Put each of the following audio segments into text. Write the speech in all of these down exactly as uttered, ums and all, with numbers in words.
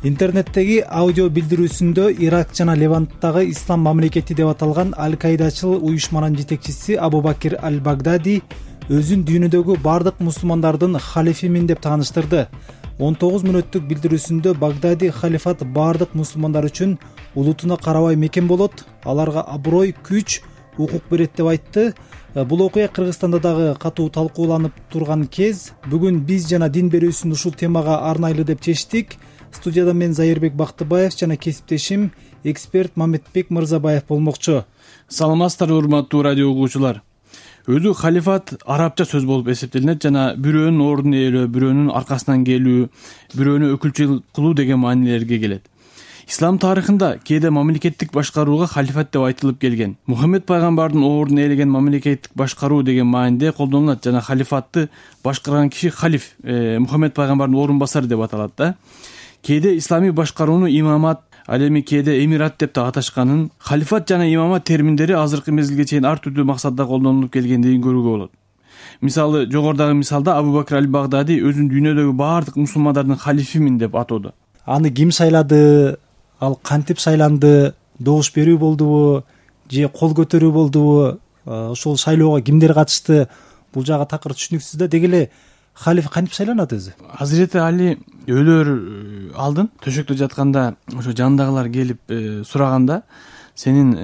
Интернеттеги аудио билдирүүсүндө Ирак жана Леванттагы ислам мамлекети деп аталган Аль-Каидачыл уюшманын жетекчиси Абу Бакир Аль-Багдadi өзүн дүйнөдөгү бардык мусулмандардын халифимин деп тааныштырды. он тогуз мүнөттүк билдирүүсүндө Багдади халифат бардык мусулмандар үчүн улутуна карабай мекен болот, аларга аброй, күч, укук берет деп айтты. Бул окуя Кыргызстанда дагы катуу талкууланып турган кез. Бүгүн биз жана дин берүүсүн ушул темага арнайлы деп чечтик. Студияда мен Зайырбек Бактыбаев жана кесиптешим эксперт Мамедбек Мырзабаев болмокчу. Саламатсыздарбы урматтуу радио угуучулар. Өзү халифат арабча сөз болуп эсептелинет жана бирөөнүн ордун ээлөө, бирөөнүн аркасынан келүү, бирөөнү өкүлчүлүк кылуу деген маанилерге келет. Ислам тарыхында кээде мамлекеттик башкарууга халифат деп айтылып келген. Мухаммед пайгамбардын ордун ээлеген мамлекеттик башкаруу деген мааниде колдонулат жана халифатты башкарган киши халиф, э, Мухаммед пайгамбардын орун басары деп аталат да. Кээде исламий башкарууну имамат, ал эми кээде эмират деп да аташканын, халифат жана имамат терминдери азыркы мезгилге чейин ар түрдүү максатта колдонулуп келгендигин көрүүгө болот. Мисалы, жогорудагы мисалда Абу Бакир Аль-Багдadi өзүн дүйнөдөгү бардык мусулмандардын халифимин деп атоодо. Аны ким шайлады, ал кантип шайланды, добуш берүү болдубу же кол көтөрүү болдубу, ошол шайлоого кимдер катышты, бул жагы такыр түшүнүксүз да. Деги эле халиф кантип шайланат өзү? Азирети Али өлөр алдын төшөктө жатканда ошо жанындагылар келип сураганда, сенин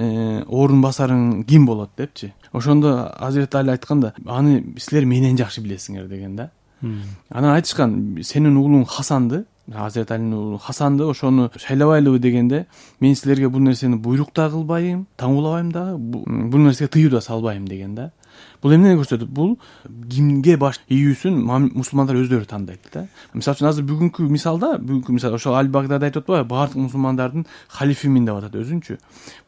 орун басарың ким болот депчи. Ошондо Азирети Али айтканда, аны силер менен жакшы билесиңер деген да. Анан айтышкан, сенин уулуң Хасанды, Азирети Алинин уулу Хасанды ошону шайлабайлыбы дегенде, мен силерге бул нерсени буйрук да кылбайм, таңуулабайм дагы, бул нерсеге тыюу да салбайм деген да. Бул эмнени көрсөтөт? Бул кимге баш ийүүсүн мусулмандар өздөрү тандайт да. Мисалы үчүн азыр бүгүнкү мисалда, бүгүнкү мисал ошол Аль-Багдadi айтып атпайбы, бардык мусулмандардын халифимин деп атат өзүнчү.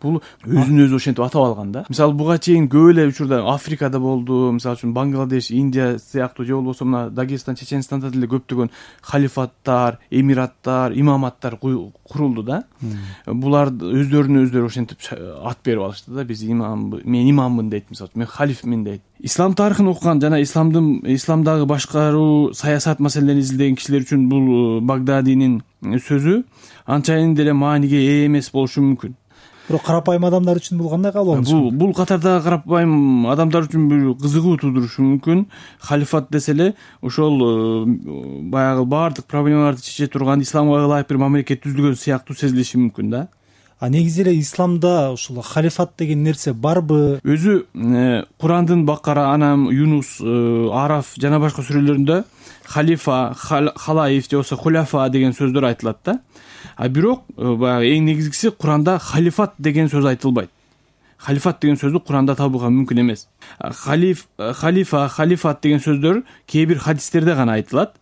Бул өзүн өзү ошентип атап алган да. Мисалы буга чейин көп эле учурда Африкада болду, мисалы үчүн Бангладеш, Индия сыяктуу же болбосо мына Дагестан, Чеченстанда деле көптөгөн халифаттар, эмираттар, имаматтар курулду да. Булар өздөрүнө өздөрү ошентип ат берип алышты да. Биз имам, мен имаммын дейт, мисалы, мен халифмин дейт. Ислам тарыхын окуган жана исламдын исламдагы башкаруу, саясат маселелерин изилдеген кишилер үчүн бул Багдадинин сөзү анчайын деле мааниге ээ эмес болушу мүмкүн. Бирок карапайым адамдар үчүн бул кандай кабыл алынышы? Бул бул катардагы карапайым адамдар үчүн бир кызыгуу туудурушу мүмкүн. Халифат десе эле ошол баягы бардык проблемаларды чече турган исламга ылайык бир мамлекет түзүлгөн сыяктуу сезилиши мүмкүн да. А негизи эле исламда ушул халифат деген нерсе барбы? Өзү Курандын Бакара, Анам, Юнус, Араф жана башка сүрөлөрүндө халифа, халаиф же болбосо хуляфа деген сөздөр айтылат да. А бирок баягы эң негизгиси Куранда халифат деген сөз айтылбайт. Халифат деген сөздү Куранда табууга мүмкүн эмес. Халиф, халифа, халифат деген сөздөр кээ бир хадистерде гана айтылат.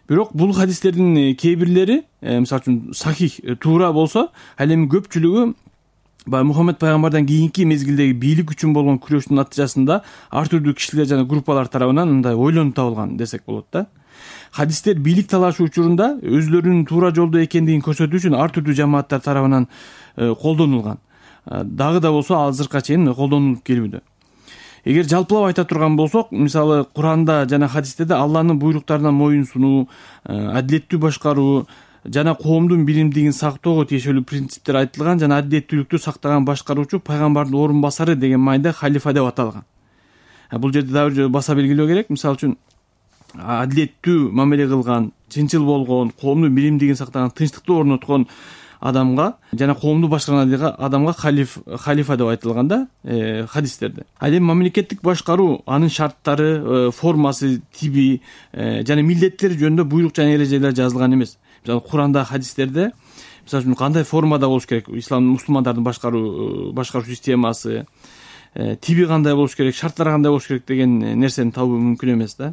Бирок бул хадистердин кээ бирлери, мисалы үчүн сахих, туура болсо, ал эми көпчүлүгү баягы Мухаммед пайгамбардан кийинки мезгилдеги бийлик үчүн болгон күрөштүн натыйжасында ар түрдүү кишилер жана группалар тарабынан мындай ойлонуп табылган десек болот да. Хадистер бийлик талашы учурунда өзлөрүнүн туура жолдо экендигин көрсөтүү үчүн ар түрдүү жамааттар тарабынан колдонулган. Дагы да болсо азыркыга чейин колдонулуп келүүдө. Эгер жалпылап айта турган болсок, мисалы Куранда жана хадистерде Алланын буйруктарына моюн сунуу, адилеттүү башкаруу жана коомдун биримдигин сактоого тиешелүү принциптер айтылган жана адилеттүүлүктү сактаган башкаруучу пайгамбардын орун басары деген мааниде халифа деп аталган. Бул жерде дагы бир баса белгилөө керек. Мисалы үчүн адилеттүү мамиле кылган, чынчыл болгон, коомдун биримдигин сактаган, тынчтыкты орноткон адамга жана коомду башкарган адамга халиф, халифа деп айтылган да э, хадистерде. Ал эми мамлекеттик башкаруу, анын шарттары, э, формасы, тиби э, жана милдеттери жөнүндө буйрук жана эрежелер жазылган эмес. Мисалы Куранда, хадистерде мисалы үчүн кандай формада болуш керек, ислам мусулмандардын башкаруу башкаруу системасы, э, тиби кандай болуш керек, шарттары кандай болуш керек деген нерсени табуу мүмкүн эмес да.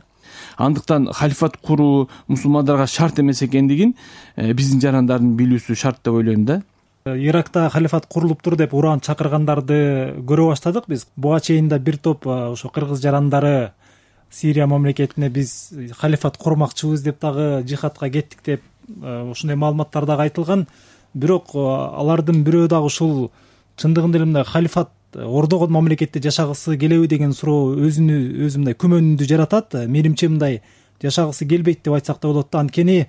Андыктан халифат куруу мусулмандарга шарт эмес экендигин биздин жарандардын билүүсү шарт деп ойлойм да. Иракта халифат курулуптур деп уран чакыргандарды көрө баштадык биз. Буга чейин да бир топ ошо кыргыз жарандары Сирия мамлекетине биз халифат курмакчыбыз деп дагы жихадка кеттик деп ушундай маалыматтар дагы айтылган. Бирок алардын бирөө дагы ушул чындыгында эле мындай халифат ордогон мамлекетте жашагысы келеби деген суроо өзүнү өзү мындай күмөнүндү жаратат. Менимче мындай жашагысы келбейт деп айтсак да болот да. Анткени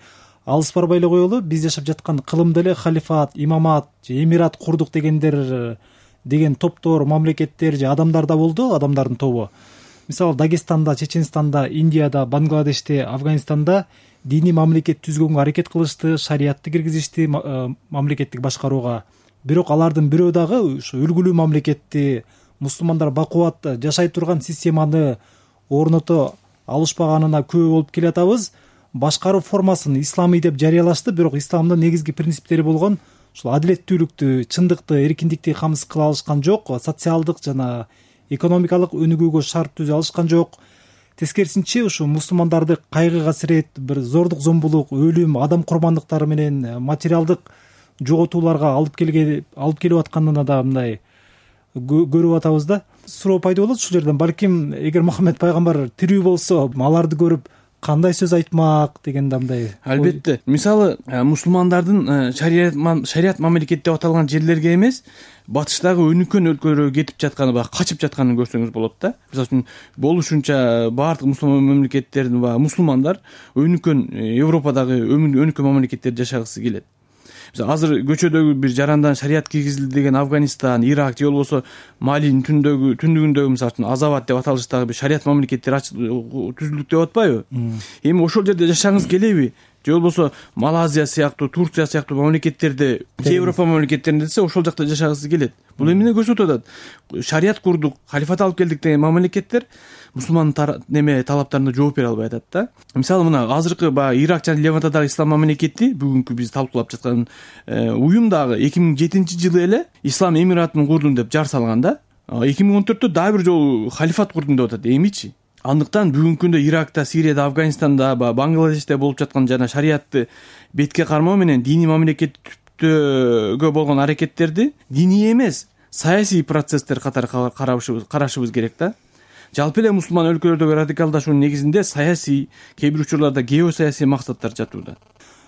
алыс барбай эле коелу, биз жашап жаткан кылымда эле халифат, имамат же эмират курдук дегендер деген топтор, мамлекеттер же адамдар да болду, адамдардын тобу. Мисалы Дагестанда, Чеченстанда, Индияда, Бангладеште, Афганистанда диний мамлекет түзгөнгө аракет кылышты, шариятты киргизишти мамлекеттик башкарууга. Бирок алардын бирөө дагы ушу үлгүлүү мамлекетти, мусулмандар бакубат жашай турган системаны орното алышпаганына күбө болуп келатабыз. Башкаруу формасын исламий деп жарыялашты, бирок исламдын негизги принциптери болгон ушул адилеттүүлүктү, чындыкты, эркиндикти камсыз кыла алышкан жок, социалдык жана экономикалык өнүгүүгө шарт түзө алышкан жок. Тескерисинче ушу мусулмандарды кайгы касирет, бир зордук зомбулук, өлүм, адам курмандыктары менен материалдык жоготууларга алып келге алып келип атканына да мындай көрүп атабыз да. Суроо пайда болот ушул жерден, балким эгер Мухаммед пайгамбар тирүү болсо, аларды көрүп кандай сөз айтмак деген да мындай. Албетте. Мисалы, мусулмандардын шарият шарият мамлекет деп аталган жерлерге эмес, батыштагы өнүккөн өлкөлөргө кетип жатканы, баягы качып жатканын көрсөңүз болот да. Мисалы үчүн болушунча баардык мусулман мамлекеттердин баягы мусулмандар өнүккөн Европадагы өнүккөн мамлекеттерде жашагысы келет. Азыр көчөдөгү бир жарандан шарият киргизилди деген Афганистан, Ирак же болбосо Малинин түндөгү түндүгүндөгү мисалы үчүн Азават деп аталыштагы бир шарият мамлекеттер түзүлдүк деп атпайбы? Эми ошол жерде жашагыңыз келеби? Же болбосо Малайзия сыяктуу, Турция сыяктуу мамлекеттерде, Европа мамлекеттеринде десе ошол жакта жашагысы келет. Бул эмне көрсөтүп атат? Шарият курдук, халифат алып келдик деген мамлекеттер мусулмандын неме талаптарына жооп бере албай атат да. Мисалы мына азыркы баягы Ирак жана Левантадагы ислам мамлекети, бүгүнкү биз талкуулап жаткан уюм дагы эки миң жетинчи жылы эле ислам эмиратын курдум деп жар салган да. эки миң он төрттө дагы бир жолу халифат курдум деп атат. Эмичи? Андыктан бүгүнкү күндө Иракта, Сирияда, Афганистанда, Бангладеште болуп жаткан жана шариятты бетке кармоо менен диний мамлекет түптөгө болгон аракеттерди диний эмес, саясий процесстер катары карашыбыз керек да. Жалпы эле мусулман өлкөлөрдөгү радикалдашуунун негизинде саясий, кээ бир учурларда геосаясий максаттар жатууда.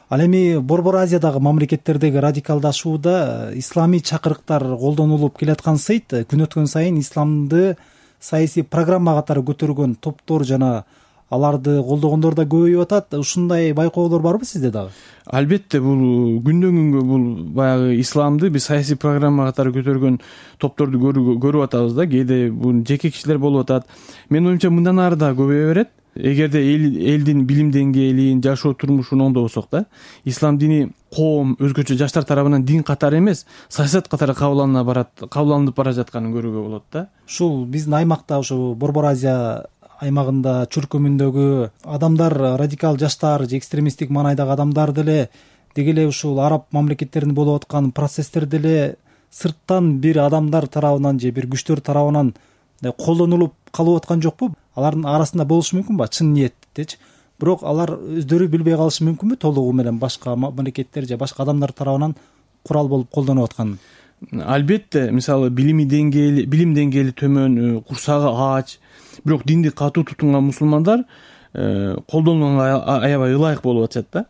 Ал эми Борбор Азиядагы мамлекеттердеги радикалдашууда исламий чакырыктар колдонулуп келаткансыйт. Күн өткөн сайын исламды саясий программа катары көтөргөн топтор жана аларды колдогондор да көбөйүп атат. Ушундай байкоолор барбы сизде дагы? Албетте, бул күндөн күнгө бул баягы исламды биз саясий программа катары көтөргөн топторду көрүп атабыз да. Кээде бул жеке кишилер болуп атат. Менин оюмча мындан ары да көбөйө берет. Эгерде элдин билим деңгээлин, жашоо турмушун оңдобосок да, ислам дини коом, өзгөчө жаштар тарабынан дин катары эмес, саясат катары кабыл барат, кабыл бара жатканын көрүүгө болот да. Ушул биздин аймакта, ушу Борбор Азия аймагында, чуркөмүндөгү адамдар, радикал жаштар же экстремисттик маанайдагы адамдар деле деги эле ушул араб мамлекеттеринде болуп аткан процесстер деле сырттан бир адамдар тарабынан же бир күчтөр тарабынан колдонулуп калып аткан жокпу? Алардын арасында болушу мүмкүн ба чын ниеттечи? Бирок алар өздөрү билбей калышы мүмкүнбү толугу менен башка мамлекеттер же башка адамдар тарабынан курал болуп колдонуп атканын? Албетте, мисалы билими деңгээли, билим деңгээли төмөн, курсагы аач, бирок динди катуу тутунган мусулмандар колдонууга аябай ылайык болуп атышат да.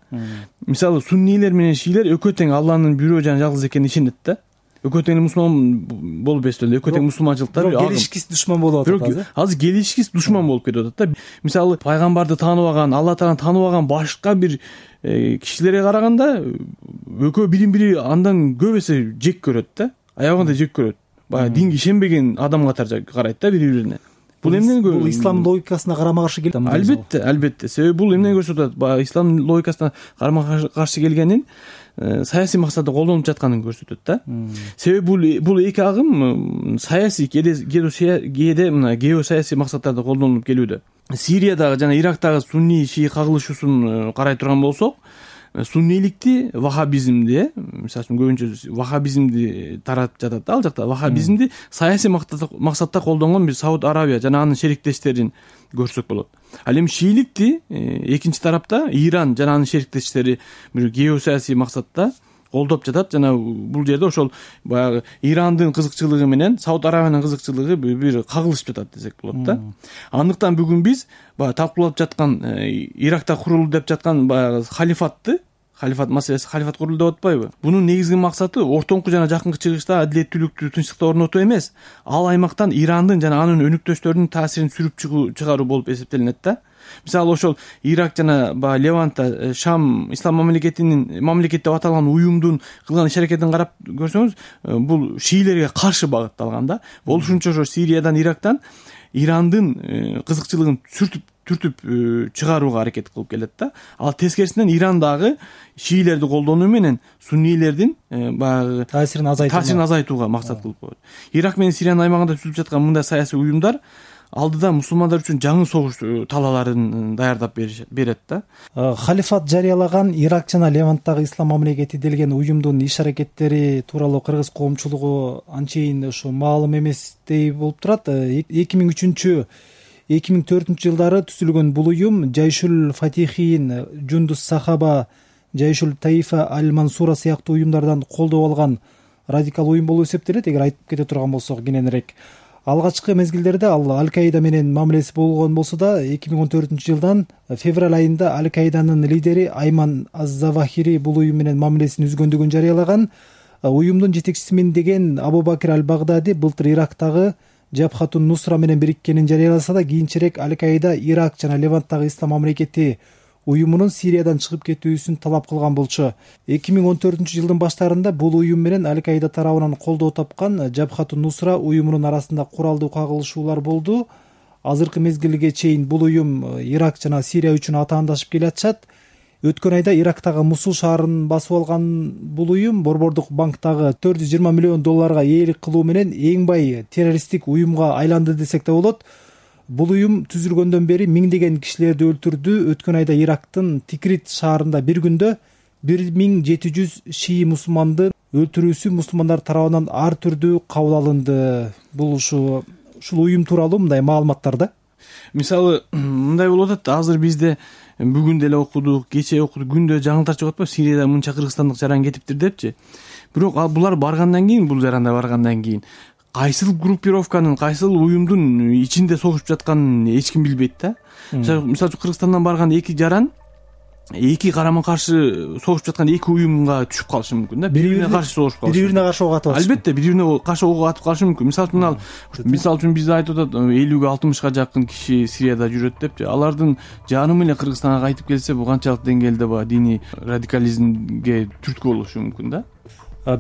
Мисалы суннийлер менен шиилер экөө тең Алланын бирөө жана жалгыз экенине ишенет да. Экөө тең мусулман болуп эстелди, экөө тең мусулманчылыкта келишкис душман болуп атат азыр. Азыр келишкис душман болуп кетип атат да. Мисалы пайгамбарды тааныбаган, Алла тааланы тааныбаган башка бир кишилерге караганда экөө бирин-бири андан көп эсе жек көрөт да. Аябагында жек көрөт. Баягы динге ишенбеген адам катары карайт да бири-бирине. Бул эмнени көрсөтөт? Бул ислам логикасына карама каршы келет. Албетте, албетте. Себеби бул эмнени көрсөтөт? Баягы ислам логикасына карама каршы келгенин саясий максатта колдонуп жатканын көрсөтөт да. Себеби бул бул эки агым саясий кээде мына геосаясий максаттарда колдонулуп келүүдө. Сириядагы жана Ирактагы сунни шии кагылышуусун карай турган болсок, суннийликти вахабизмди, мисалы үчүн көбүнчө вахабизмди таратып жатат да, ал жакта вахабизмди саясий максатта колдонгон бир Сауд Арабия жана анын шериктештерин көрсөк болот. Ал эми шииликти экинчи тарапта Иран жана анын шериктештери бир геосаясий максатта колдоп жатат жана бул жерде ошол баягы Ирандын кызыкчылыгы менен Сауд Арабиянын кызыкчылыгы бир кагылышып жатат десек болот да. Андыктан бүгүн биз баягы талкуулап жаткан Иракта курулду деп жаткан баягы халифатты халифат маселеси, халифат курулду деп атпайбы? Бунун негизги максаты ортоңку жана жакынкы чыгышта адилеттүүлүктү, тынчтыкты орнотуу эмес, ал аймактан Ирандын жана анын өнүктөштөрүнүн таасирин сүрүп чыгаруу болуп эсептелинет да. Мисалы ошол Ирак жана баягы Левантта Шам ислам мамлекетинин мамлекет деп аталган уюмдун кылган иш-аракетин карап көрсөңүз, бул шиилерге каршы багытталган да. Болушунча ошо Сириядан, Ирактан Ирандын кызыкчылыгын сүртүп түртүп чыгарууга аракет кылып келет да. Ал тескерисинен Иран дагы шиилерди колдонуу менен суннийлердин баягы таасирин азайтууга таасирин азайтууга максат кылып коет. Ирак менен Сириянын аймагында түзүлүп жаткан мындай саясий уюмдар алдыда мусулмандар үчүн жаңы согуш талааларын даярдап берет да. Халифат жарыялаган Ирак жана Леванттагы ислам мамлекети делген уюмдун иш-аракеттери тууралуу кыргыз коомчулугу анчейин ушу маалым эместей болуп турат. эки миң үчүнчү эки миң төртүнчү жылдары түзүлгөн бул уюм Жайшул Фатихин, Жундус Сахаба, Жайшул Таифа Аль-Мансура сыяктуу уюмдардан колдоо алган радикал уюм болуп эсептелет. Эгер айтып кете турган болсок кененирээк, алгачкы мезгилдерде ал Аль-Каида менен мамилеси болгон болсо да, эки миң он төртүнчү жылдан февраль айында Аль-Каиданын лидери Айман Az-Завахири бул уюм менен мамилесин үзгөндүгүн жарыялаган. Уюмдун жетекчисимин деген Абу Бакир Аль-Багдади былтыр Ирактагы Жабхатун Нусра менен бириккенин жарыяласа да, кийинчерээк Аль-Каида Ирак жана Леванттагы ислам мамлекети уюмунун Сириядан чыгып кетүүсүн талап кылган болчу. эки миң он төртүнчү жылдын баштарында бул уюм менен Аль-Каида тарабынан колдоо тапкан Жабхатун Нусра уюмунун арасында куралдуу кагылышуулар болду. Азыркы мезгилге чейин бул уюм Ирак жана Сирия үчүн атаандашып келатышат. Өткөн айда Ирактагы Мусул шаарын басып алган бул уюм Борбордук банктагы төрт жүз жыйырма миллион долларга ээлик кылуу менен эң бай террористтик уюмга айланды десек да болот. Бул уюм түзүлгөндөн бери миңдеген кишилерди өлтүрдү. Өткөн айда Ирактын Тикрит шаарында бир күндө бир миң жети жүз шии мусулманды өлтүрүүсү мусулмандар тарабынан ар түрдүү кабыл алынды. Бул ушу ушул уюм тууралуу мындай маалыматтар да. Мисалы мындай болуп атат, азыр бизде бүгүн деле окудук, кечээ окудук, күндө жаңылтар чыгып атпайбы, Сирияда мынча кыргызстандык жаран кетиптир депчи. Бирок ал булар баргандан кийин, бул жаранда баргандан кийин кайсыл группировканын, кайсыл уюмдун ичинде согушуп жатканын эч ким билбейт да. Мисалы үчүн Кыргызстандан барган эки жаран эки карама каршы согушуп жаткан эки уюмга түшүп калышы мүмкүн да. Бири-бирине каршы согушуп калышы. Бири-бирине каршы ок атып атышы. Албетте, бири-бирине каршы ок атып калышы мүмкүн. Мисалы үчүн ал мисалы үчүн бизде айтып атат, элүүгө алтымышка жакын киши Сирияда жүрөт депчи. Алардын жанымы эле Кыргызстанга кайтып келсе, бул канчалык деңгээлде ба диний радикализмге түрткү болушу мүмкүн да.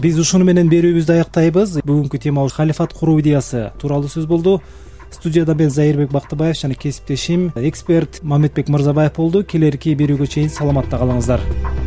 Биз ушуну менен берүүбүздү аяктайбыз. Бүгүнкү тема халифат куруу идеясы тууралуу сөз болду. Студияда мен Зайырбек Бактыбаев жана кесиптешим эксперт Мамедбек Мырзабаев болду. Келерки берүүгө чейин саламатта калыңыздар.